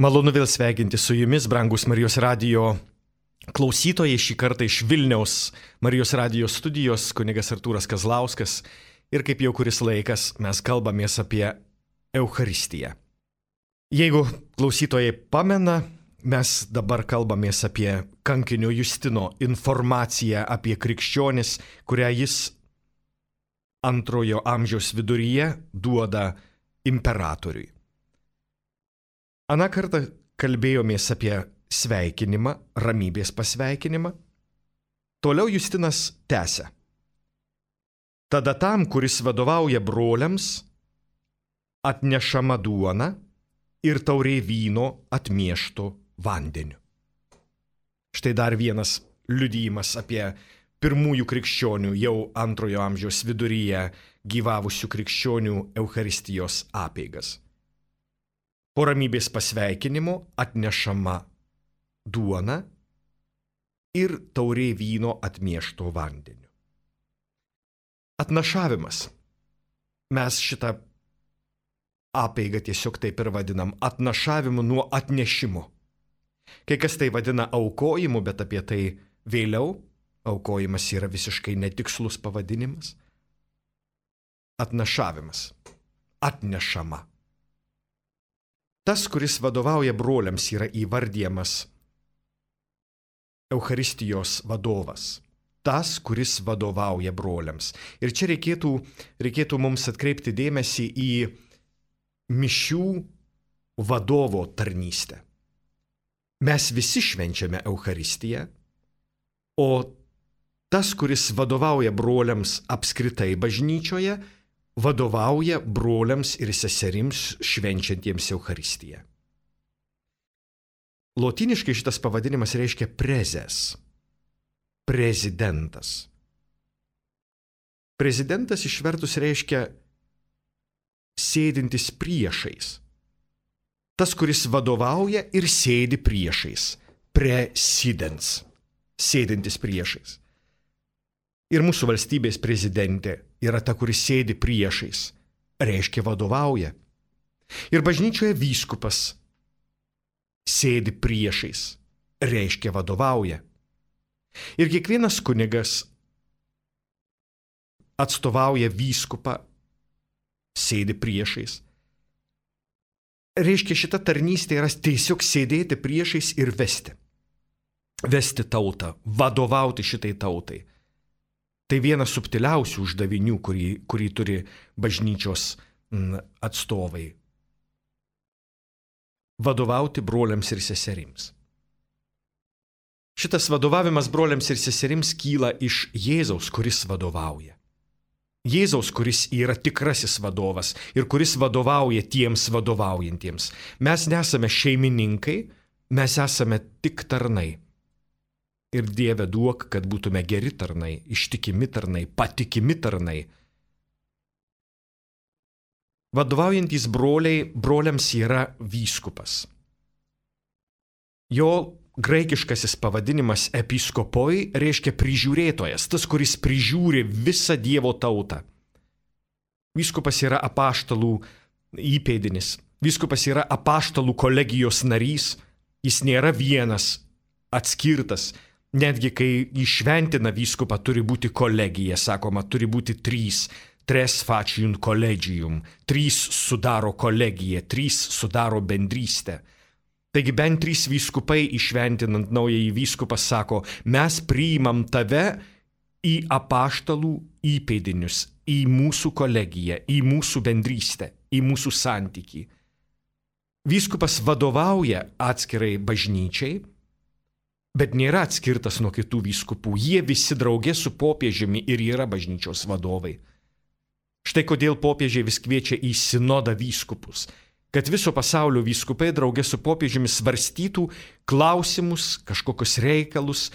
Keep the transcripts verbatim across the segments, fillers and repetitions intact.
Malonu vėl sveikinti su jumis, brangus Marijos radijo klausytojai, šį kartą iš Vilniaus Marijos radijo studijos, kunigas Artūras Kazlauskas. Ir kaip jau kuris laikas mes kalbamės apie Eucharistiją. Jeigu klausytojai pamena, mes dabar kalbamės apie kankinio Justino informaciją apie krikščionis, kurią jis antrojo amžiaus viduryje duoda imperatoriui. Aną kartą kalbėjomės apie sveikinimą, ramybės pasveikinimą. Toliau Justinas tęsia. Tada tam, kuris vadovauja broliams, atnešama duona ir taurė vyno atmiešto vandeniu. Štai dar vienas liudijimas apie pirmųjų krikščionių, jau antrojo amžiaus viduryje gyvavusių krikščionių Eucharistijos apeigas. Po ramybės pasveikinimo atnešama duona ir taurė vyno atmiešto vandeniu. Atnašavimas. Mes šitą apeigą tiesiog taip ir vadinam atnašavimu nuo atnešimo. Kai kas tai vadina aukojimu, bet apie tai vėliau. Aukojimas yra visiškai netikslus pavadinimas. Atnašavimas. Atnešama. Tas, kuris vadovauja broliams, yra įvardijamas Eucharistijos vadovas. Tas, kuris vadovauja broliams. Ir čia reikėtų, reikėtų mums atkreipti dėmesį į mišių vadovo tarnystę. Mes visi švenčiame Eucharistiją, o tas, kuris vadovauja broliams apskritai bažnyčioje, vadovauja broliams ir seserims švenčiantiems Eucharistiją. Lotyniškai šitas pavadinimas reiškia prezes, prezidentas. Prezidentas išvertus reiškia sėdintis priešais. Tas, kuris vadovauja ir sėdi priešais, presidens, sėdintis priešais. Ir mūsų valstybės prezidentė yra ta, kuris sėdi priešais, reiškia vadovauja. Ir bažnyčioje vyskupas sėdi priešais, reiškia vadovauja. Ir kiekvienas kunigas atstovauja vyskupą, sėdi priešais. Reiškia, šita tarnystė yra tiesiog sėdėti priešais ir vesti. Vesti tautą, vadovauti šitai tautai. Tai vienas subtiliausių uždavinių, kurį, kurį turi bažnyčios atstovai. Vadovauti broliams ir seserims. Šitas vadovavimas broliams ir seserims kyla iš Jėzaus, kuris vadovauja. Jėzaus, kuris yra tikrasis vadovas ir kuris vadovauja tiems vadovaujantiems. Mes nesame šeimininkai, mes esame tik tarnai. Ir Dieve duok, kad būtume geri tarnai, ištikimi tarnai, patikimi tarnai. Vadovaujantys broliai, broliams yra vyskupas. Jo graikiškasis pavadinimas episkopoi reiškia prižiūrėtojas, tas, kuris prižiūri visą Dievo tautą. Vyskupas yra apaštalų įpėdinis. Vyskupas yra apaštalų kolegijos narys. Jis nėra vienas, atskirtas. Netgi kai įšventina vyskupą, turi būti kolegija, sakoma, turi būti trys, tres facium collegium, trys sudaro kolegiją, trys sudaro bendrystę. Taigi bent trys vyskupai įšventinant naująjį vyskupą sako, mes priimam tave į apaštalų įpėdinius, į mūsų kolegiją, į mūsų bendrystę, į mūsų santykį. Vyskupas vadovauja atskirai bažnyčiai, bet nėra atskirtas nuo kitų vyskupų. Jie visi drauge su popiežiumi ir yra bažnyčios vadovai. Štai kodėl popiežiai vis kviečia į sinodą vyskupus, kad viso pasaulio vyskupai drauge su popiežiumi svarstytų klausimus, kažkokius reikalus,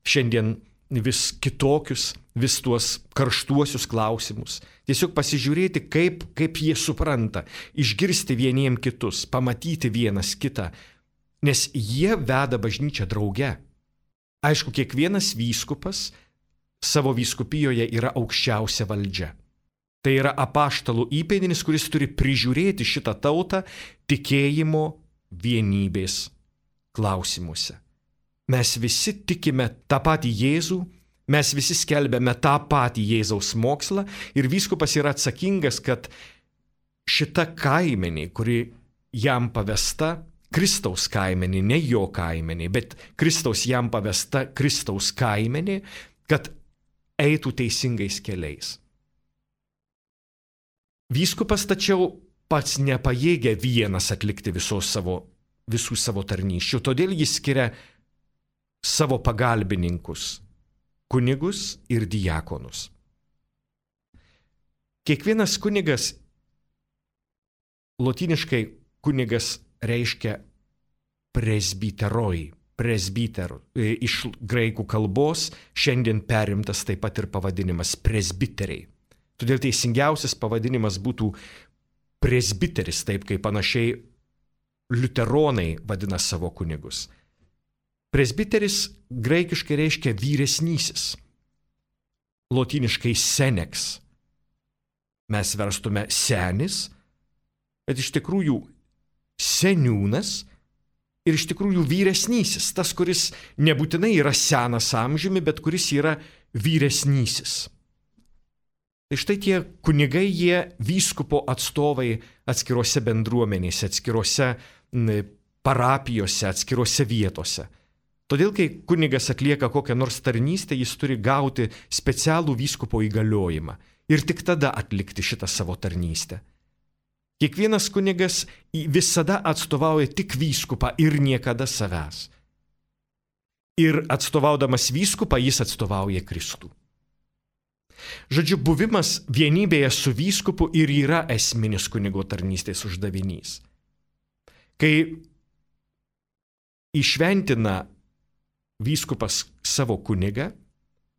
šiandien vis kitokius, vis tuos karštuosius klausimus. Tiesiog pasižiūrėti, kaip, kaip jie supranta, išgirsti vieniem kitus, pamatyti vienas kitą. Nes jie veda bažnyčią drauge. Aišku, kiekvienas vyskupas savo vyskupijoje yra aukščiausia valdžia. Tai yra apaštalų įpėdinis, kuris turi prižiūrėti šitą tautą tikėjimo vienybės klausimuose. Mes visi tikime tą patį Jėzų, mes visi skelbiame tą patį Jėzaus mokslą ir vyskupas yra atsakingas, kad šita kaimenė, kuri jam pavesta, Kristaus kaimenė, ne jo kaimenė, bet Kristaus jam pavesta Kristaus kaimenė, kad eitų teisingais keliais. Vyskupas tačiau pats nepajėgia vienas atlikti visos savo, visų savo tarnysčių, todėl jis skiria savo pagalbininkus, kunigus ir diakonus. Kiekvienas kunigas, lotyniškai kunigas reiškia presbiteroj, presbiter, iš graikų kalbos šiandien perimtas taip pat ir pavadinimas presbiteriai. Todėl teisingiausias pavadinimas būtų presbiteris, taip kaip panašiai liuteronai vadina savo kunigus. Presbiteris graikiškai reiškia vyresnysis, lotyniškai senex. Mes verstume senis, bet iš tikrųjų seniūnas ir iš tikrųjų vyresnysis, tas, kuris nebūtinai yra senas amžiumi, bet kuris yra vyresnysis. Tai štai tie kunigai, jie vyskupo atstovai atskirose bendruomenėse, atskirose parapijose, atskirose vietose. Todėl, kai kunigas atlieka kokią nors tarnystę, jis turi gauti specialų vyskupo įgaliojimą ir tik tada atlikti šitą savo tarnystę. Kiekvienas kunigas visada atstovauja tik vyskupą ir niekada savęs. Ir atstovaudamas vyskupą, jis atstovauja Kristų. Žodžiu, buvimas vienybėje su vyskupu ir yra esminis kunigo tarnystės uždavinys. Kai įšventina vyskupas savo kunigą,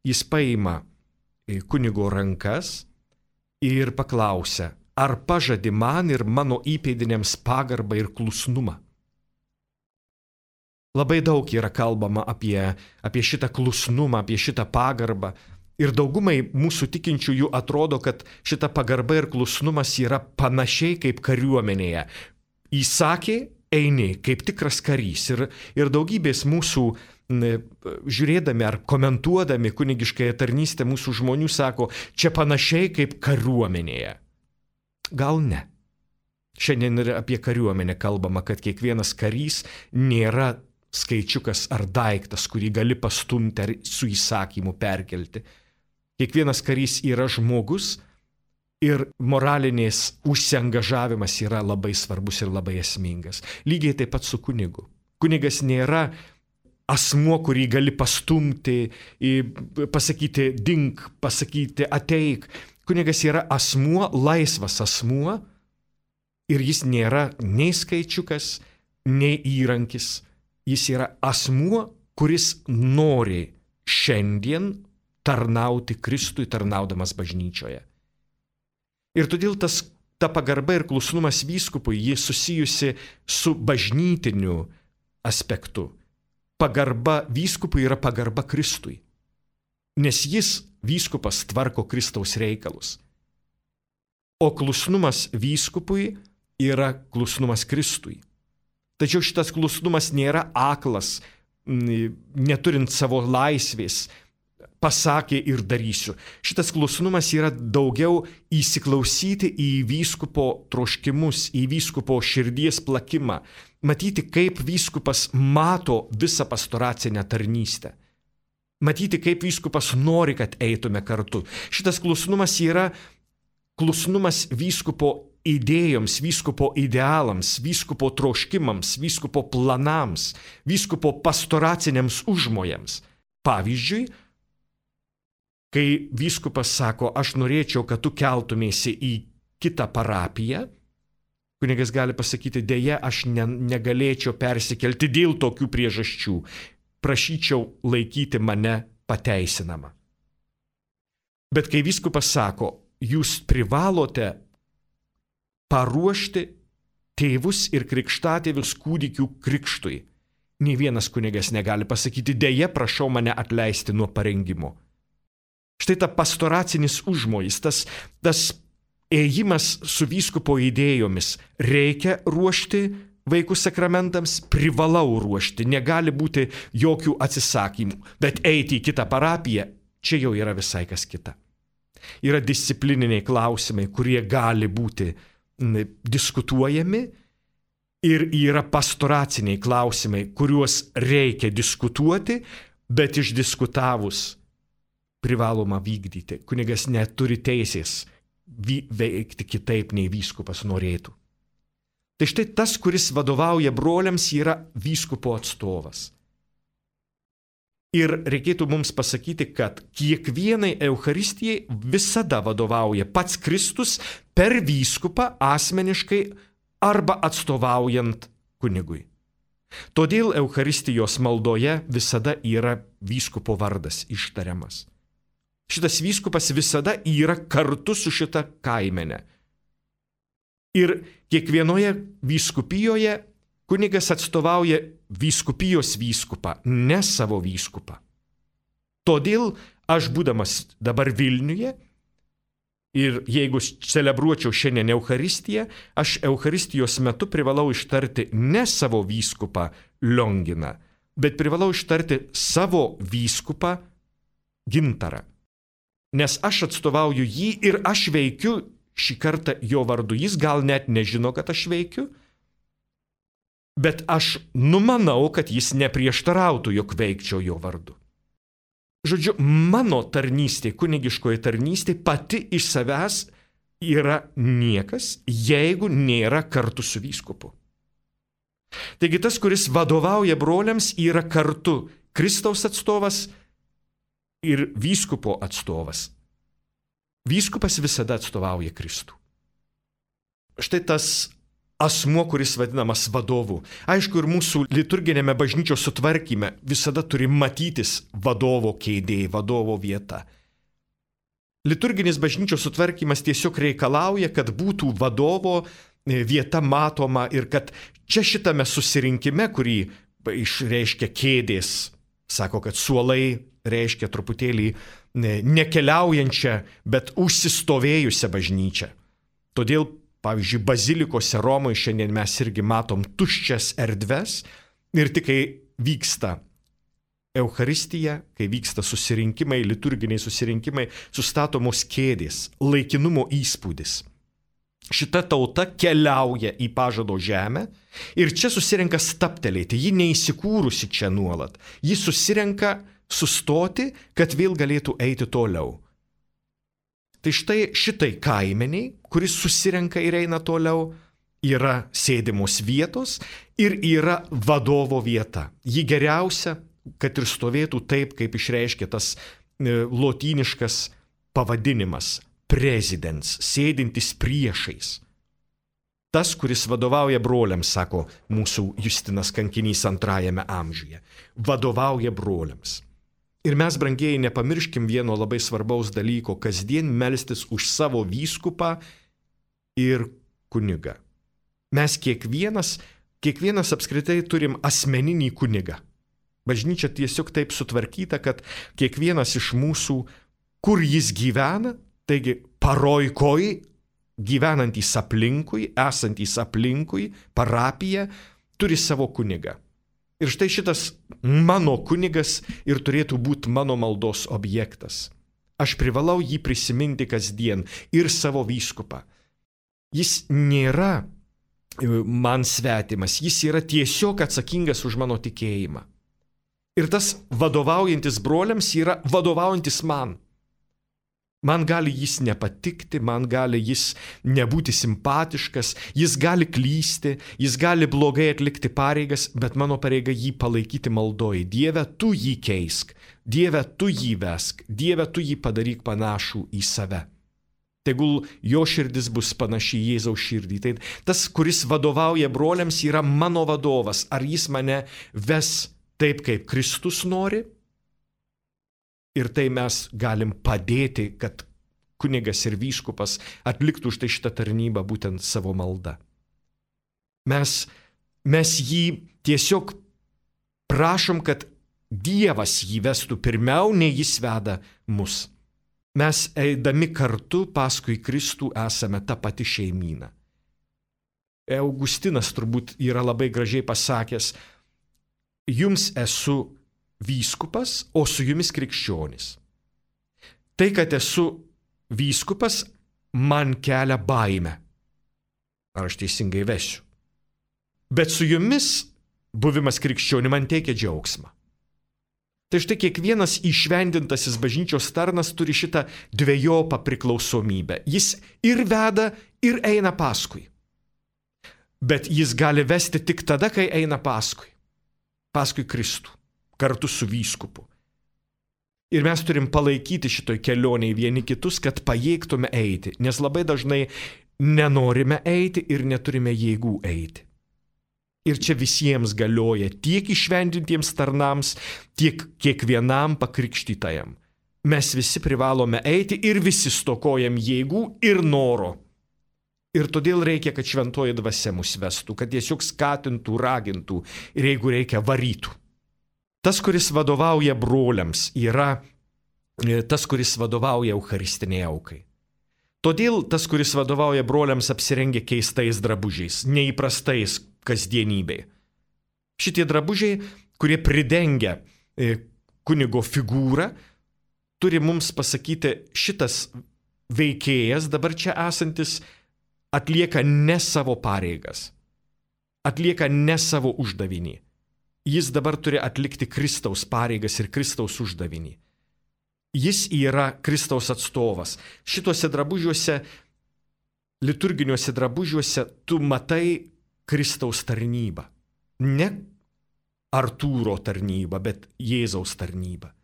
jis paima kunigo rankas ir paklausia, ar pažadi man ir mano įpėdiniams pagarbą ir klusnumą. Labai daug yra kalbama apie, apie šitą klusnumą, apie šitą pagarbą. Ir daugumai mūsų tikinčiųjų atrodo, kad šita pagarba ir klusnumas yra panašiai kaip kariuomenėje. Įsakė, eini kaip tikras karys. Ir, ir daugybės mūsų, žiūrėdami ar komentuodami kunigiškąją tarnystę, mūsų žmonių sako, čia panašiai kaip kariuomenėje. Gal ne. Šiandien ir apie kariuomenę kalbama, kad kiekvienas karys nėra skaičiukas ar daiktas, kurį gali pastumti ar su įsakymu perkelti. Kiekvienas karys yra žmogus ir moralinės užsiangažavimas yra labai svarbus ir labai esmingas. Lygiai taip pat su kunigu. Kunigas nėra asmuo, kurį gali pastumti, pasakyti dink, pasakyti ateik. Kunigas yra asmuo, laisvas asmuo ir jis nėra nei skaičiukas, nei įrankis. Jis yra asmuo, kuris nori šiandien tarnauti Kristui, tarnaudamas bažnyčioje. Ir todėl tas, ta pagarba ir klusnumas vyskupui, ji susijusi su bažnytiniu aspektu. Pagarba vyskupui yra pagarba Kristui, nes jis, vyskupas, tvarko Kristaus reikalus. O klusnumas vyskupui yra klusnumas Kristui. Tačiau šitas klusnumas nėra aklas, neturint savo laisvės, pasakė ir darysiu. Šitas klusnumas yra daugiau įsiklausyti į vyskupo troškimus, į vyskupo širdies plakimą, matyti, kaip vyskupas mato visą pastoracinę tarnystę, matyti, kaip vyskupas nori, kad eitume kartu. Šitas klusnumas yra klusnumas vyskupo idėjoms, vyskupo idealams, vyskupo troškimams, vyskupo planams, vyskupo pastoraciniams užmojams. Pavyzdžiui, kai vyskupas sako, aš norėčiau, kad tu keltumėsi į kitą parapiją, kunigas gali pasakyti, dėja, aš ne, negalėčiau persikelti dėl tokių priežasčių. Prašyčiau laikyti mane pateisinamą. Bet kai vyskupas sako, jūs privalote paruošti tėvus ir krikštatėvius kūdikių krikštui. Nė vienas kunigas negali pasakyti, dėja, prašau mane atleisti nuo parengimo. Štai ta pastoracinis užmojis, tas, tas ėjimas su vyskupo idėjomis. Reikia ruošti vaikus sakramentams, privalau ruošti, negali būti jokių atsisakymų, bet eiti į kitą parapiją, čia jau yra visai kas kita. Yra disciplininiai klausimai, kurie gali būti diskutuojami ir yra pastoraciniai klausimai, kuriuos reikia diskutuoti, bet išdiskutavus privaloma vykdyti. Kunigas neturi teisės veikti kitaip, nei vyskupas norėtų. Tai štai tas, kuris vadovauja broliams, yra vyskupo atstovas. Ir reikėtų mums pasakyti, kad kiekvienai Eucharistijai visada vadovauja pats Kristus per vyskupą asmeniškai arba atstovaujant kunigui. Todėl Eucharistijos maldoje visada yra vyskupo vardas ištariamas. Šitas vyskupas visada yra kartu su šita kaimene. Ir kiekvienoje vyskupijoje kunigas atstovauja vyskupijos vyskupą, ne savo vyskupą. Todėl aš būdamas dabar Vilniuje ir jeigu celebruočiau šiandien Eucharistiją, aš Eucharistijos metu privalau ištarti ne savo vyskupą Lionginą, bet privalau ištarti savo vyskupą Gintarą. Nes aš atstovauju jį ir aš veikiu šį kartą jo vardu. Jis gal net nežino, kad aš veikiu, bet aš numanau, kad jis neprieštarautų, jog veikčiau jo vardu. Žodžiu, mano tarnystė, kunigiškoji tarnystė pati iš savęs yra niekas, jeigu nėra kartu su vyskupu. Taigi tas, kuris vadovauja broliams, yra kartu Kristaus atstovas ir vyskupo atstovas. Vyskupas visada atstovauja Kristų. Štai tas asmuo, kuris vadinamas vadovu. Aišku, ir mūsų liturginėme bažnyčios sutvarkyme visada turi matytis vadovo kėdė, vadovo vieta. Liturginis bažnyčios sutvarkymas tiesiog reikalauja, kad būtų vadovo vieta matoma ir kad čia šitame susirinkime, kurį išreiškia kėdės, sako, kad suolai reiškia truputėlį nekeliaujančią, bet užsistovėjusią bažnyčią. Todėl, pavyzdžiui, bazilikose Romoje šiandien mes irgi matom tuščias erdves ir tik kai vyksta Eucharistija, kai vyksta susirinkimai, liturginiai susirinkimai, sustatomos kėdės, laikinumo įspūdis. Šita tauta keliauja į pažado žemę ir čia susirenka staptelėti, ji neįsikūrusi čia nuolat, ji susirenka sustoti, kad vėl galėtų eiti toliau. Tai štai šitai kaimeniai, kuris susirenka ir eina toliau, yra sėdimos vietos ir yra vadovo vieta. Ji geriausia, kad ir stovėtų taip, kaip išreiškia tas lotyniškas pavadinimas – prezidens, sėdintis priešais. Tas, kuris vadovauja broliams, sako mūsų Justinas Kankinys antrajame amžiuje, vadovauja broliams. Ir mes, brangieji, nepamirškim vieno labai svarbaus dalyko – kasdien melstis už savo vyskupą ir kunigą. Mes kiekvienas, kiekvienas apskritai turim asmeninį kunigą. Bažnyčia tiesiog taip sutvarkyta, kad kiekvienas iš mūsų, kur jis gyvena, taigi paroikoj, gyvenantys aplinkui, esantys aplinkui, parapija, turi savo kunigą. Ir štai šitas mano kunigas ir turėtų būti mano maldos objektas. Aš privalau jį prisiminti kasdien ir savo vyskupą. Jis nėra man svetimas, jis yra tiesiog atsakingas už mano tikėjimą. Ir tas vadovaujantis broliams yra vadovaujantis man. Man gali jis nepatikti, man gali jis nebūti simpatiškas, jis gali klysti, jis gali blogai atlikti pareigas, bet mano pareiga jį palaikyti maldoje. Dieve, tu jį keisk, Dieve, tu jį vesk, Dieve, tu jį padaryk panašų į save. Tegul jo širdis bus panaši į Jėzaus širdį. Tai tas, kuris vadovauja broliams, yra mano vadovas. Ar jis mane ves taip, kaip Kristus nori? Ir tai mes galim padėti, kad kunigas ir vyskupas atliktų štai šitą tarnybą būtent savo maldą. Mes, mes jį tiesiog prašom, kad Dievas jį vestų pirmiau, nei jis veda mus. Mes eidami kartu paskui Kristų esame ta pati šeimyna. Augustinas turbūt yra labai gražiai pasakęs, jums esu vyskupas, o su jumis krikščionis. Tai, kad esu vyskupas, man kelia baimę. Ar aš teisingai vesiu? Bet su jumis buvimas krikščioniu man teikia džiaugsmą. Tai štai kiekvienas įšvendintasis bažnyčios tarnas turi šitą dvejopą priklausomybę. Jis ir veda, ir eina paskui. Bet jis gali vesti tik tada, kai eina paskui. Paskui Kristų, kartu su vyskupu. Ir mes turim palaikyti šitoj kelionėje vieni kitus, kad pajėgtume eiti, nes labai dažnai nenorime eiti ir neturime jėgų eiti. Ir čia visiems galioja tiek įšventintiems tarnams, tiek kiekvienam pakrikštytajam. Mes visi privalome eiti ir visi stokojam jėgų ir noro. Ir todėl reikia, kad šventoji dvasia mus vestų, kad tiesiog skatintų, ragintų ir jeigu reikia varytų. Tas, kuris vadovauja broliams, yra tas, kuris vadovauja eucharistiniai aukai. Todėl tas, kuris vadovauja broliams, apsirengia keistais drabužiais, neįprastais kasdienybei. Šitie drabužiai, kurie pridengia kunigo figūrą, turi mums pasakyti, šitas veikėjas, dabar čia esantis, atlieka ne savo pareigas, atlieka ne savo uždavinį. Jis dabar turi atlikti Kristaus pareigas ir Kristaus uždavinį. Jis yra Kristaus atstovas. Šituose drabužiuose, liturginiuose drabužiuose, tu matai Kristaus tarnybą. Ne Artūro tarnybą, bet Jėzaus tarnybą.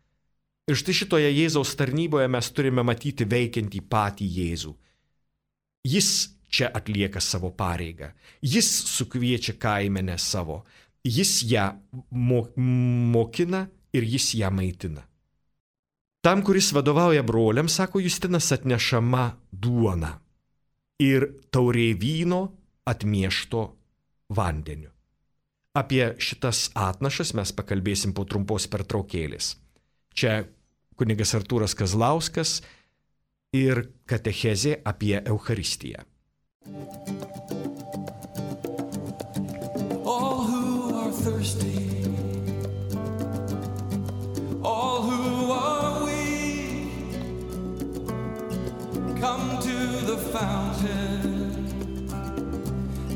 Ir štai šitoje Jėzaus tarnyboje mes turime matyti veikiantį patį Jėzų. Jis čia atlieka savo pareigą. Jis sukviečia kaimenę savo. Jis ją mokina ir jis ją maitina. Tam, kuris vadovauja broliams, sako Justinas, atnešama duona ir taurė vyno atmiešto vandeniu. Apie šitas atnašas mes pakalbėsim po trumpos pertraukėlės. Čia kunigas Artūras Kazlauskas ir katechezė apie Eucharistiją. All who are thirsty, all who are weak, come to the fountain,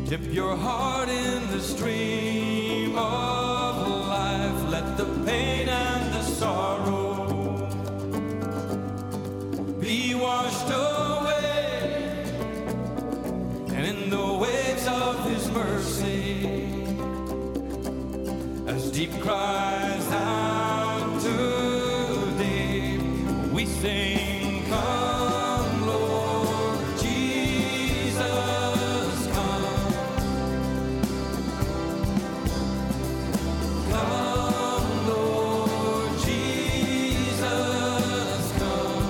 dip your heart in the stream of life, let the pain and the sorrow be washed away, and in the waves of His mercy, as deep cries out to deep, we sing, come Lord Jesus, come. Come Lord Jesus, come.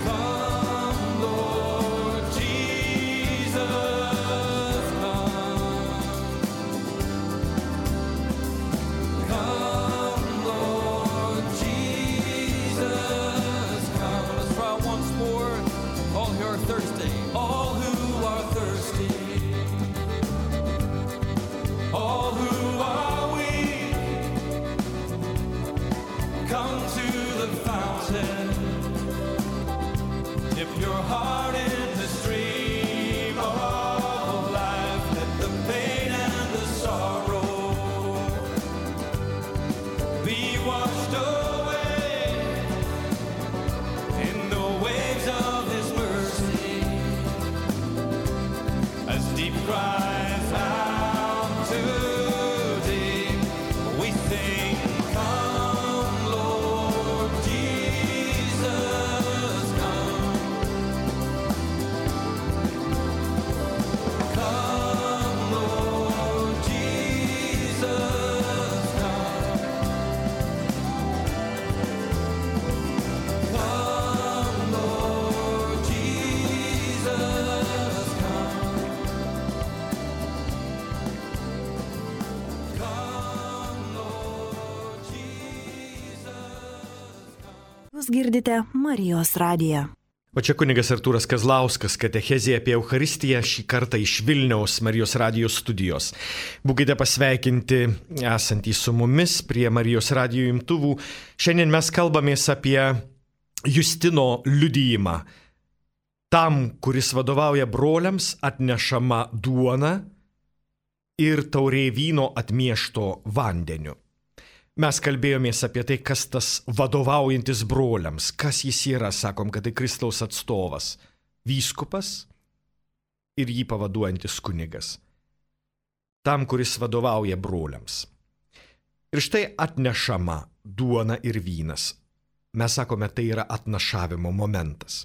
Come Lord Jesus, come. Come Lord Jesus, come. Let's try once more. All who are thirsty, all who are thirsty, all who are weak, come to the fountain, dip your heart in the stream of life, let the pain and the sorrow be washed away in the waves of His mercy, as deep cries out to deep, we sing, come Lord Jesus, come. Come Lord Jesus, come. Come Lord Jesus, come. Come Lord Jesus, come. Jūs girdite Marijos radiją. O čia kunigas Artūras Kazlauskas, katechezė apie Eucharistiją, šį kartą iš Vilniaus Marijos radijos studijos. Būkite pasveikinti esantys su mumis prie Marijos radijo imtuvų. Šiandien mes kalbamės apie Justino liudijimą. Tam, kuris vadovauja broliams, atnešama duona ir taurė vyno atmiešto vandeniu. Mes kalbėjomės apie tai, kas tas vadovaujantis broliams, kas jis yra, sakom, kad tai Kristaus atstovas, vyskupas ir jį pavaduojantis kunigas. Tam, kuris vadovauja broliams. Ir štai atnešama duona ir vynas. Mes sakome, tai yra atnašavimo momentas.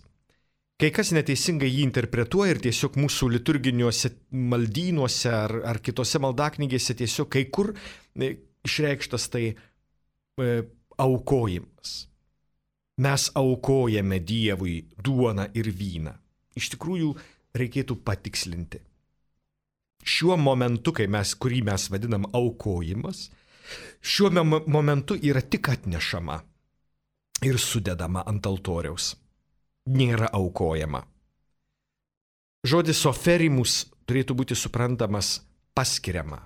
Kai kas neteisingai jį interpretuoja ir tiesiog mūsų liturginiuose maldynuose ar, ar kitose maldaknygėse tiesiog kai kur išreikštas tai e, aukojimas. Mes aukojame Dievui duoną ir vyną. Iš tikrųjų, reikėtų patikslinti. Šiuo momentu, kai mes, kurį mes vadinam aukojimas, šiuo momentu yra tik atnešama ir sudedama ant altoriaus. Nėra aukojama. Žodis oferimus turėtų būti suprantamas paskiriama,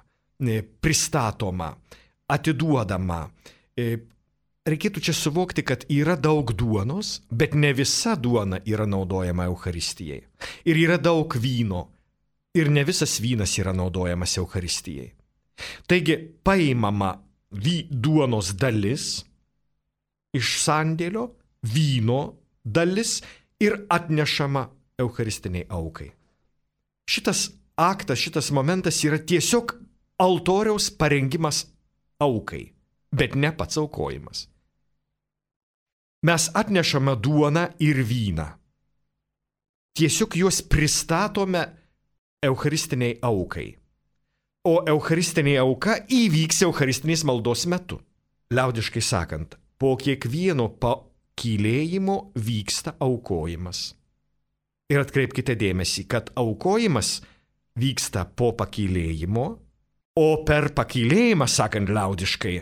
pristatoma, atiduodama. Reikėtų čia suvokti, kad yra daug duonos, bet ne visa duona yra naudojama Eucharistijai. Ir yra daug vyno, ir ne visas vynas yra naudojamas Eucharistijai. Taigi paimama vy, duonos dalis iš sandėlio, vyno dalis ir atnešama eucharistiniai aukai. Šitas aktas, šitas momentas yra tiesiog altoriaus parengimas aukai, bet ne pats aukojimas. Mes atnešame duoną ir vyną. Tiesiog juos pristatome eucharistiniai aukai. O eucharistinė auka įvyks eucharistinės maldos metu. Liaudiškai sakant, po kiekvieno pakylėjimo vyksta aukojimas. Ir atkreipkite dėmesį, kad aukojimas vyksta po pakylėjimo, o per pakylėjimą, sakant liaudiškai,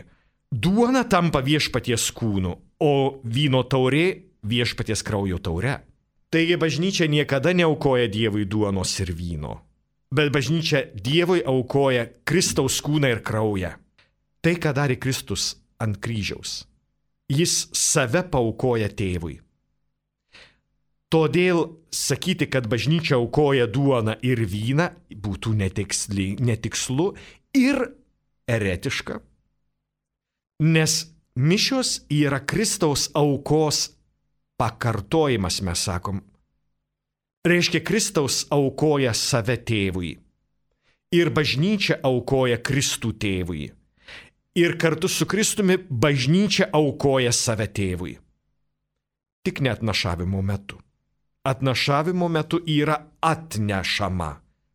duona tampa viešpaties kūnu, o vyno taurė viešpaties kraujo taure. Taigi bažnyčia niekada neaukoja Dievui duonos ir vyno, bet bažnyčia Dievui aukoja Kristaus kūną ir kraują. Tai, ką darė Kristus ant kryžiaus. Jis save paaukoja tėvui. Todėl sakyti, kad bažnyčia aukoja duoną ir vyną, būtų netiksli, netikslu ir eretiška, nes mišios yra Kristaus aukos pakartojimas, mes sakom. Reiškia, Kristaus aukoja save tėvui ir bažnyčia aukoja Kristų tėvui. Ir kartu su Kristumi bažnyčia aukoja save tėvui. Tik ne atnašavimo metu. Atnašavimo metu yra atnešama.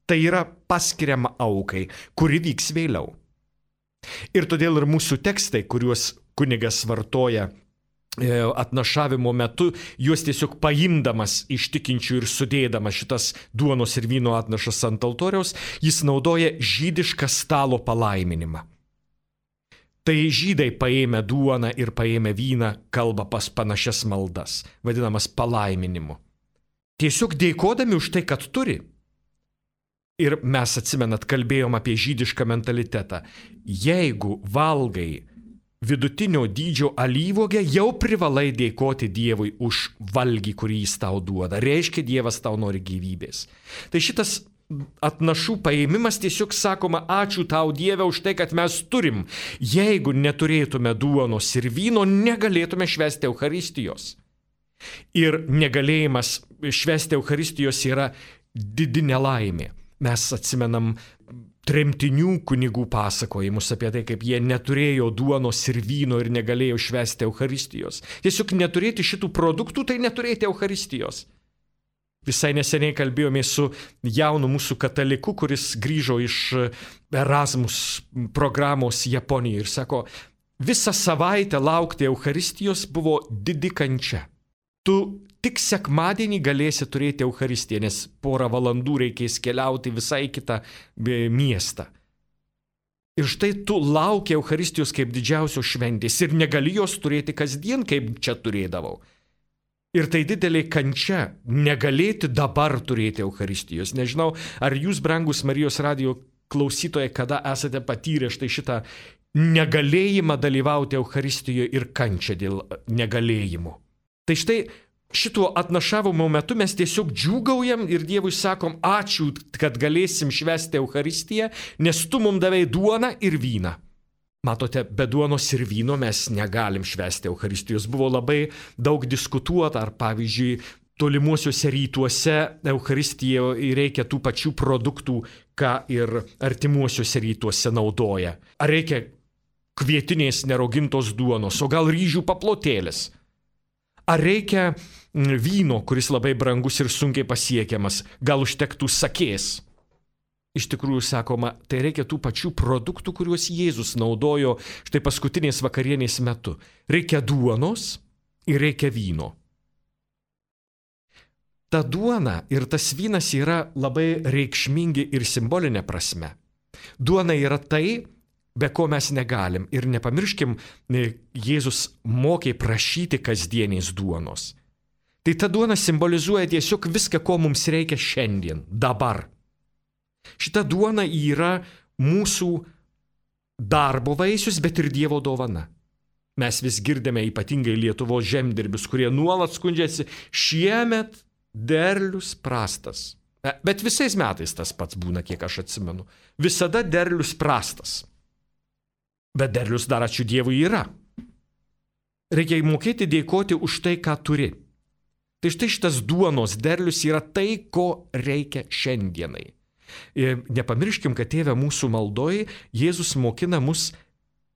Tai yra paskiriama aukai, kuri vyks vėliau. Ir todėl ir mūsų tekstai, kuriuos kunigas vartoja atnašavimo metu, juos tiesiog paimdamas iš tikinčių ir sudėdamas šitas duonos ir vyno atnašas ant altoriaus, jis naudoja žydišką stalo palaiminimą. Tai žydai paėmę duoną ir paėmę vyną kalba pas panašias maldas, vadinamas palaiminimu. Tiesiog dėkodami už tai, kad turi. Ir mes, atsimenat, kalbėjom apie žydišką mentalitetą. Jeigu valgai vidutinio dydžio alyvuogę, jau privalai dėkoti Dievui už valgį, kurį jis tau duoda. Reiškia, Dievas tau nori gyvybės. Tai šitas atnašų paėmimas tiesiog sakoma, ačiū tau Dieve už tai, kad mes turim. Jeigu neturėtume duonos ir vyno, negalėtume švęsti Eucharistijos. Ir negalėjimas švęsti Eucharistijos yra didi nelaimė. Mes atsimenam tremtinių kunigų pasakojimus apie tai, kaip jie neturėjo duonos ir vyno ir negalėjo švęsti Eucharistijos. Tiesiog neturėti šitų produktų, tai neturėti Eucharistijos. Visai neseniai kalbėjome su jaunu mūsų kataliku, kuris grįžo iš Erasmus programos Japonijoje ir sako, visą savaitę laukti Eucharistijos buvo didi kančia. Tu tik sekmadienį galėsi turėti Eucharistiją, nes porą valandų reikės keliauti visai kitą miestą. Ir štai tu lauki Eucharistijos kaip didžiausios šventės ir negali jos turėti kasdien, kaip čia turėdavau. Ir tai didelė kančia negalėti dabar turėti Eucharistijos. Nežinau, ar jūs, brangus Marijos radijo klausytojai, kada esate patyrę štai šitą negalėjimą dalyvauti Eucharistijoje ir kančią dėl negalėjimo. Tai štai šituo atnašavimo metu mes tiesiog džiūgaujam ir Dievui sakom, ačiū, kad galėsim švęsti Eucharistiją, nes tu mums davei duoną ir vyną. Matote, be duonos ir vyno mes negalim švęsti Eucharistijos. Buvo labai daug diskutuota, ar pavyzdžiui, tolimuosiuose rytuose Eucharistijoje reikia tų pačių produktų, ką ir artimuosiuose rytuose naudoja. Ar reikia kvietinės nerogintos duonos, o gal ryžių paplotėlis? Ar reikia vyno, kuris labai brangus ir sunkiai pasiekiamas, gal užtektų sakės? Iš tikrųjų, sakoma, tai reikia tų pačių produktų, kuriuos Jėzus naudojo štai paskutinės vakarienės metu. Reikia duonos ir reikia vyno. Ta duona ir tas vynas yra labai reikšmingi ir simbolinė prasme. Duona yra tai, be ko mes negalim. Ir nepamirškim, Jėzus mokė prašyti kasdienės duonos. Tai ta duona simbolizuoja tiesiog viską, ko mums reikia šiandien, dabar. Šita duona yra mūsų darbo vaisius, bet ir Dievo dovana. Mes vis girdime ypatingai Lietuvos žemdirbius, kurie nuolat skundžiasi, šiemet derlius prastas. Bet visais metais tas pats būna, kiek aš atsimenu. Visada derlius prastas. Bet derlius dar, ačiū Dievui, yra. Reikia mokėti dėkoti už tai, ką turi. Tai štai šitas duonos derlius yra tai, ko reikia šiandienai. Ir nepamirškim, kad Tėve mūsų maldoje Jėzus mokina mus,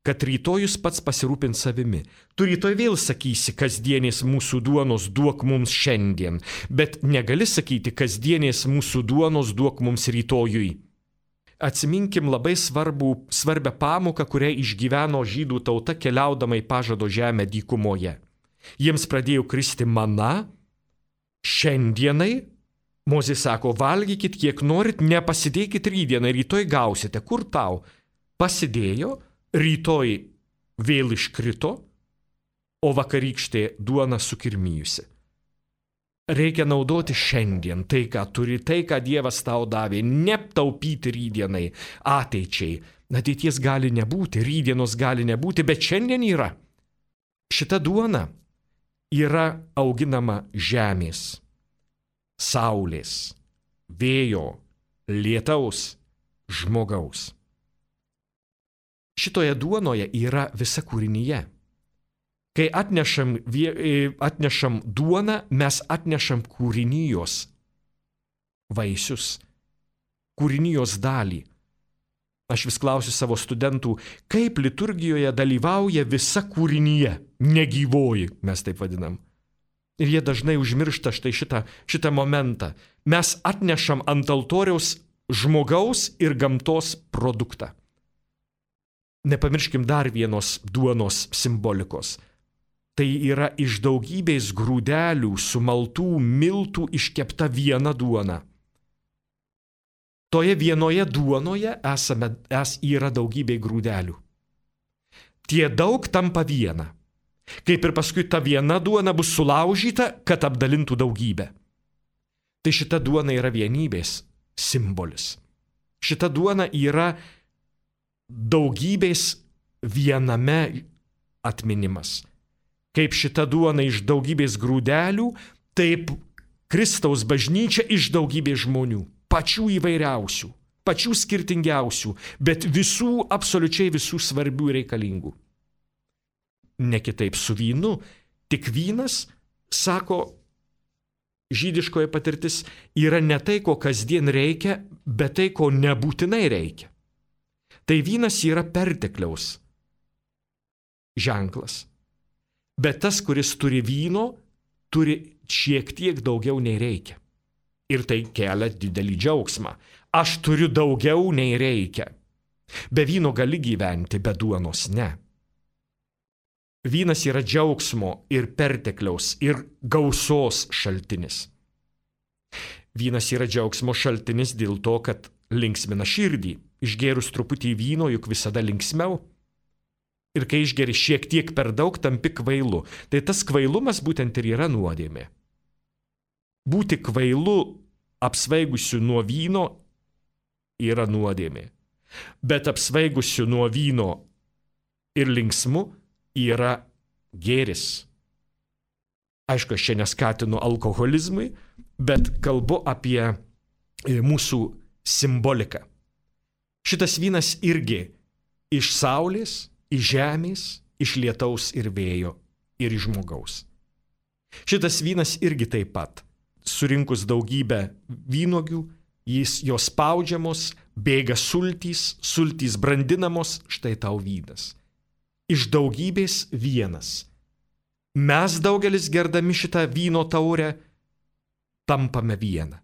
kad rytojus pats pasirūpins savimi. Tu rytoj vėl sakysi, kasdienės mūsų duonos duok mums šiandien, bet negali sakyti, kasdienės mūsų duonos duok mums rytojui. Atsiminkim labai svarbų, svarbią pamoką, kurią išgyveno žydų tauta keliaudama į pažado žemę dykumoje. Jiems pradėjo kristi mana. Šiandienai, Mozė sako, valgykit kiek norit, nepasidėkit rytdieną, rytoj gausite. Kur tau? Pasidėjo, rytoj vėl iškrito, o vakarykštė duona sukirmijusi. Reikia naudoti šiandien tai, ką turi, tai, ką Dievas tau davė, netaupyti rytdienai, ateičiai. Ateities gali nebūti, rytdienos gali nebūti, bet šiandien yra. Šita duona yra auginama žemės, saulės, vėjo, lietaus, žmogaus. Šitoje duonoje yra visa kūrinyje. Kai atnešam, atnešam duoną, mes atnešam kūrinijos vaisius, kūrinijos dalį. Aš vis klausiu savo studentų, kaip liturgijoje dalyvauja visa kūrinyje, negyvoji, mes taip vadinam. Ir jie dažnai užmiršta štai šitą, šitą momentą. Mes atnešam ant altoriaus žmogaus ir gamtos produktą. Nepamirškim dar vienos duonos simbolikos. Tai yra iš daugybės grūdelių sumaltų miltų iškepta viena duona. Toje vienoje duonoje esame, es yra daugybė grūdelių. Tie daug tampa viena. Kaip ir paskui ta viena duona bus sulaužyta, kad apdalintų daugybę. Tai šita duona yra vienybės simbolis. Šita duona yra daugybės viename atminimas. Kaip šita duona iš daugybės grūdelių, taip Kristaus bažnyčia iš daugybės žmonių. Pačių įvairiausių, pačių skirtingiausių, bet visų, absoliučiai visų svarbių ir reikalingų. Ne kitaip su vynu, tik vynas, sako žydiškoji patirtis, yra ne tai, ko kasdien reikia, bet tai, ko nebūtinai reikia. Tai vynas yra pertekliaus ženklas. Bet tas, kuris turi vyno, turi šiek tiek daugiau nei reikia. Ir tai kelia didelį džiaugsmą. Aš turiu daugiau nei reikia. Be vyno gali gyventi, be duonos ne. Vynas yra džiaugsmo ir pertekliaus ir gausos šaltinis. Vynas yra džiaugsmo šaltinis dėl to, kad linksmina širdį. Išgėrus truputį vyno, juk visada linksmiau. Ir kai išgeri šiek tiek per daug, tampi kvailu. Tai tas kvailumas būtent ir yra nuodėmė. Būti kvailu apsvaigusiu nuo vyno yra nuodėmė. Bet apsvaigusiu nuo vyno ir linksmu yra gėris. Aišku, aš čia neskatinu alkoholizmui, bet kalbu apie mūsų simboliką. Šitas vynas irgi iš saulės, iš žemės, iš lietaus ir vėjo ir iš žmogaus. Šitas vynas irgi taip pat. Surinkus daugybę vynuogių, jis jos spaudžiamos, bėga sultys, sultys brandinamos, štai tau vynas. Iš daugybės vienas. Mes daugelis gerdami šitą vyno taurę tampame vieną.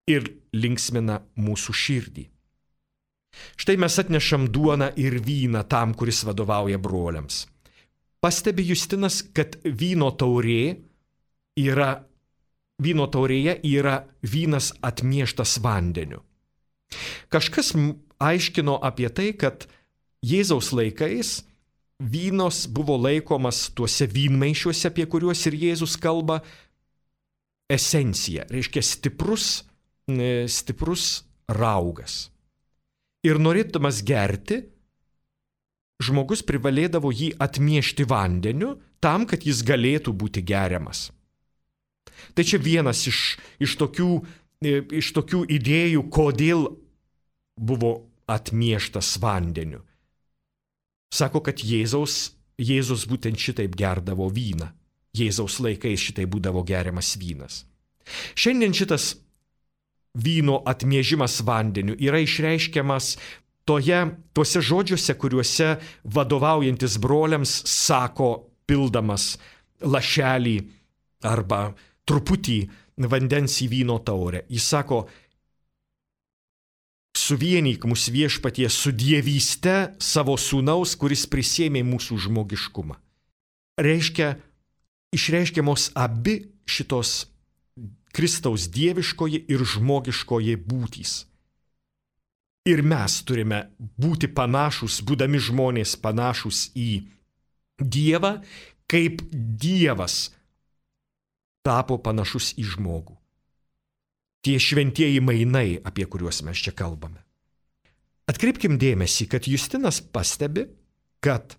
Ir linksmina mūsų širdį. Štai mes atnešam duoną ir vyną tam, kuris vadovauja broliams. Pastebi Justinas, kad vyno taurė yra, vyno taurėje yra vynas atmieštas vandeniu. Kažkas aiškino apie tai, kad Jėzaus laikais vynos buvo laikomas tuose vynmaišiuose, apie kuriuos ir Jėzus kalba, esencija, reiškia stiprus, stiprus raugas. Ir norėdamas gerti, žmogus privalėdavo jį atmiešti vandeniu tam, kad jis galėtų būti geriamas. Tai čia vienas iš, iš, tokių, iš tokių idėjų, kodėl buvo atmieštas vandeniu. Sako, kad Jėzaus, Jėzus būtent šitaip gerdavo vyną. Jėzaus laikais šitaip būdavo geriamas vynas. Šiandien šitas vyno atmiežimas vandeniu yra išreiškiamas toje, tuose žodžiuose, kuriuose vadovaujantis broliams sako, pildamas lašelį arba truputį vandens į vyno taurę. Jis sako, suvienyk mus viešpatie su dievyste savo sūnaus, kuris prisėmė mūsų žmogiškumą. Reiškia, išreiškiamos abi šitos Kristaus dieviškoji ir žmogiškoji būtys. Ir mes turime būti panašus, būdami žmonės panašus į Dievą, kaip Dievas tapo panašus į žmogų. Tie šventieji mainai, apie kuriuos mes čia kalbame. Atkreipkim dėmesį, kad Justinas pastebi, kad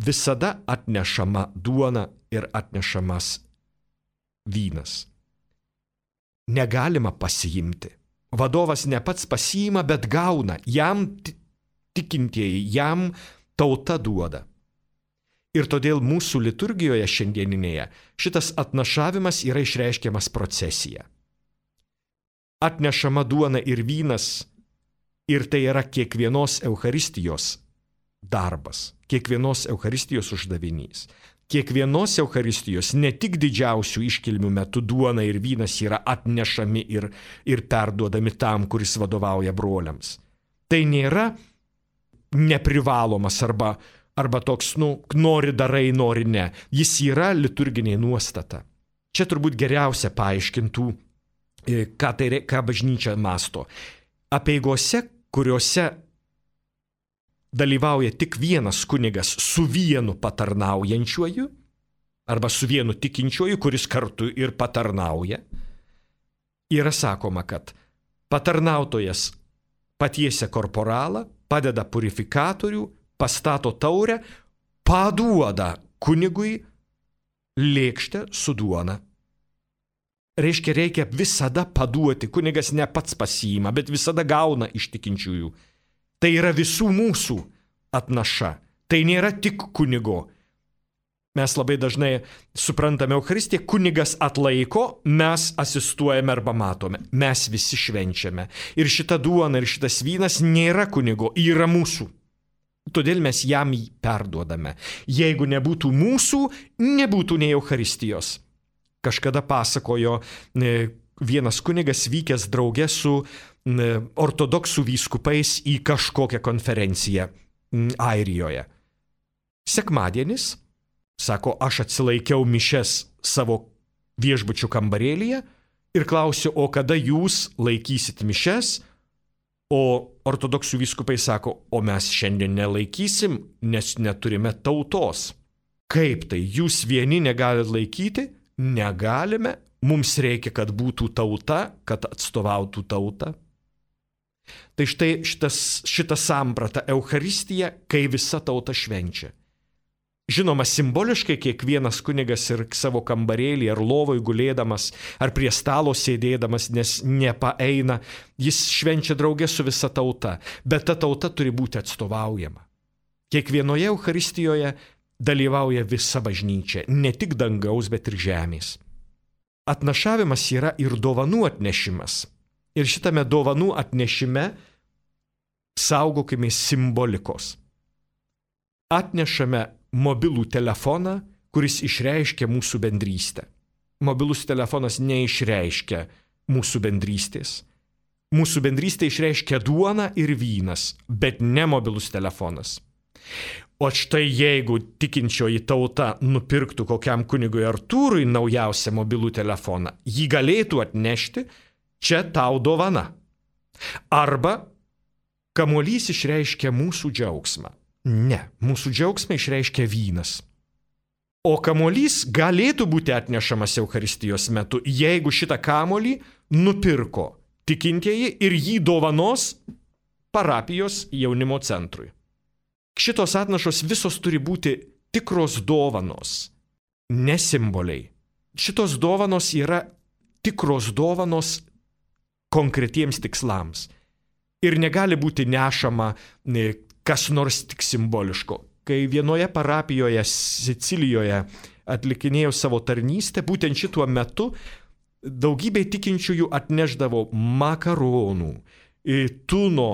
visada atnešama duona ir atnešamas vynas. Negalima pasiimti. Vadovas ne pats pasiima, bet gauna. Jam tikintieji, jam tauta duoda. Ir todėl mūsų liturgijoje šiandieninėje šitas atnašavimas yra išreiškiamas procesija. Atnešama duona ir vynas, ir tai yra kiekvienos Eucharistijos darbas, kiekvienos Eucharistijos uždavinys. Kiekvienos Eucharistijos, ne tik didžiausių iškilmių metu duona ir vynas yra atnešami ir, ir perduodami tam, kuris vadovauja broliams. Tai nėra neprivalomas arba, arba toks, nu, nori darai, nori ne. Jis yra liturginė nuostata. Čia turbūt geriausia paaiškintų, ką, tai, ką bažnyčia masto. Apeigose, kuriuose dalyvauja tik vienas kunigas su vienu patarnaujančiuoju arba su vienu tikinčiuoju, kuris kartu ir patarnauja, yra sakoma, kad patarnautojas patiesia korporalą, padeda purifikatorių, pastato taurę, paduoda kunigui lėkštę su duona. Reiškia, reikia visada paduoti, kunigas ne pats pasiima, bet visada gauna iš tikinčiųjų. Tai yra visų mūsų atnaša. Tai nėra tik kunigo. Mes labai dažnai suprantame Eucharistiją, kunigas atlaiko, mes asistuojame arba matome. Mes visi švenčiame. Ir šita duona ir šitas vynas nėra kunigo, yra mūsų. Todėl mes jam jį perduodame. Jeigu nebūtų mūsų, nebūtų nei Eucharistijos. Kažkada pasakojo vienas kunigas vykęs drauge su ortodoksų vyskupais į kažkokią konferenciją Airijoje. Sekmadienis, sako, aš atsilaikiau mišes savo viešbučių kambarėlyje ir klausiu, o kada jūs laikysit mišes, O ortodoksų vyskupai sako, o mes šiandien nelaikysim, nes neturime tautos. Kaip tai? Jūs vieni negalit laikyti? Negalime. Mums reikia, kad būtų tauta, kad atstovautų tautą. Tai štai šitas, šita samprata Eucharistija, kai visa tauta švenčia. Žinoma, simboliškai kiekvienas kunigas ir savo kambarėlį ar lovoj gulėdamas, ar prie stalo sėdėdamas, nes nepaeina, jis švenčia draugė su visa tauta, bet ta tauta turi būti atstovaujama. Kiekvienoje Eucharistijoje dalyvauja visa bažnyčia, ne tik dangaus, bet ir žemės. Atnašavimas yra ir dovanų atnešimas. Ir šitame dovanų atnešime saugokime simbolikos. Atnešame mobilų telefoną, kuris išreiškia mūsų bendrystę. Mobilus telefonas neišreiškia mūsų bendrystės. Mūsų bendrystė išreiškia duona ir vynas, bet ne mobilus telefonas. O štai jeigu tikinčioji tauta nupirktų kokiam kunigui Artūrui naujausią mobilų telefoną, jį galėtų atnešti, čia tau dovana. Arba kamuolys išreiškia mūsų džiaugsmą. Ne, mūsų džiaugsmą išreiškia vynas. O kamuolys galėtų būti atnešamas Eucharistijos metu, jeigu šitą kamuolį nupirko tikintieji ir jį dovanos parapijos jaunimo centrui. Šitos atnašos visos turi būti tikros dovanos, ne simboliai. Šitos dovanos yra tikros dovanos konkretiems tikslams. Ir negali būti nešama kas nors tik simboliško. Kai vienoje parapijoje Sicilijoje atlikinėjau savo tarnystę, būtent šituo metu daugybė tikinčiųjų atneždavo makaronų, tuno,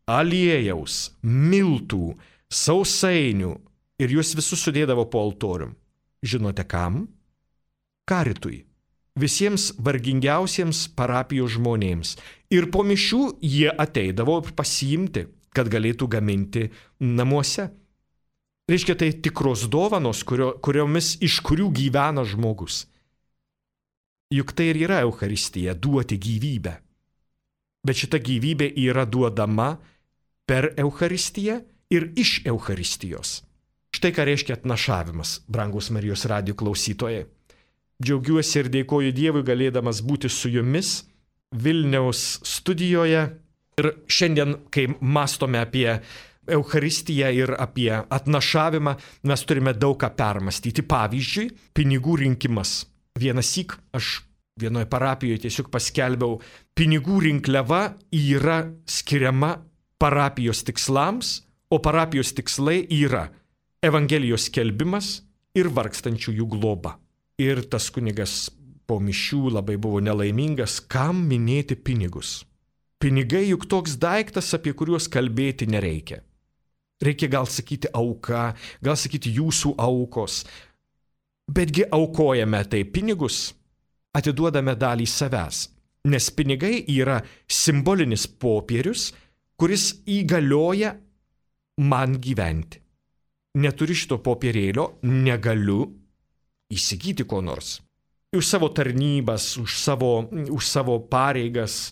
aliejaus, miltų, sausainių ir juos visus sudėdavo po altorium. Žinote kam? Karitui. Visiems vargingiausiems parapijos žmonėms. Ir po mišių jie ateidavo pasiimti, kad galėtų gaminti namuose. Reiškia, tai tikros dovanos, kurio, kuriomis iš kurių gyvena žmogus. Juk tai ir yra Eucharistija, duoti gyvybę. Bet šita gyvybė yra duodama per Eucharistiją ir iš Eucharistijos. Štai ką reiškia atnašavimas, brangus Marijos radijo klausytojai. Džiaugiuosi ir dėkoju Dievui galėdamas būti su jumis Vilniaus studijoje. Ir šiandien, kai mąstome apie Eucharistiją ir apie atnašavimą, mes turime daug ką permastyti. Pavyzdžiui, pinigų rinkimas. Vienąsyk aš vienoje parapijoje tiesiog paskelbiau, pinigų rinkliava yra skiriama parapijos tikslams, o parapijos tikslai yra Evangelijos skelbimas ir vargstančiųjų globa. Ir tas kunigas po mišių labai buvo nelaimingas, kam minėti pinigus. Pinigai juk toks daiktas, apie kuriuos kalbėti nereikia. Reikia gal sakyti auka, gal sakyti jūsų aukos. Betgi aukojame tai pinigus, atiduodame dalį savęs, nes pinigai yra simbolinis popierius, kuris įgalioja man gyventi. Neturiu šito popierėlio, negaliu įsigyti ko nors. Už savo tarnybas, už savo, už savo pareigas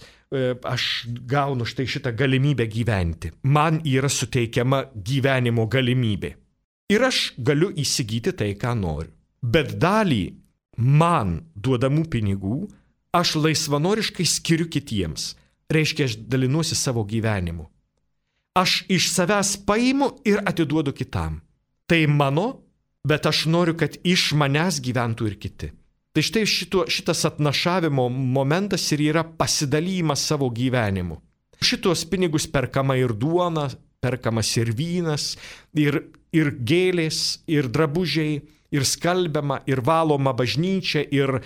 aš gaunu štai šitą galimybę gyventi. Man yra suteikiama gyvenimo galimybė. Ir aš galiu įsigyti tai, ką noriu. Bet dalį man duodamų pinigų aš laisvanoriškai skiriu kitiems. Reiškia, aš dalinuosi savo gyvenimu. Aš iš savęs paimu ir atiduodu kitam. Tai mano, bet aš noriu, kad iš manęs gyventų ir kiti. Tai štai šito, šitas atnašavimo momentas ir yra pasidalymas savo gyvenimu. Šitos pinigus perkama ir duona, perkamas ir vynas, ir, ir gėlės, ir drabužiai, ir skalbiama, ir valoma bažnyčia, ir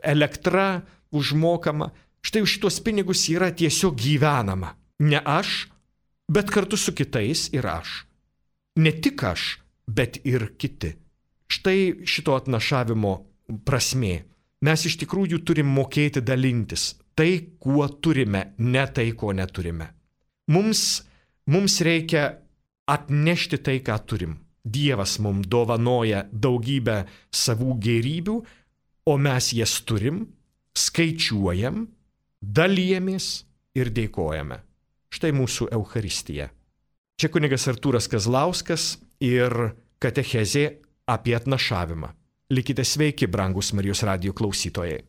elektra užmokama. Štai už šitos pinigus yra tiesiog gyvenama. Ne aš, bet kartu su kitais ir aš. Ne tik aš, bet ir kiti. Štai šito atnašavimo prasmė. Mes iš tikrųjų turim mokėti dalintis. Tai, kuo turime, ne tai, ko neturime. Mums, mums reikia atnešti tai, ką turim. Dievas mums dovanoja daugybę savų gėrybių, o mes jas turim, skaičiuojam, dalijamės ir dėkojame. Štai mūsų Eucharistija. Čia kunigas Artūras Kazlauskas ir katechezė apie atnašavimą. Likite sveiki, brangus Marijos radijo klausytojai.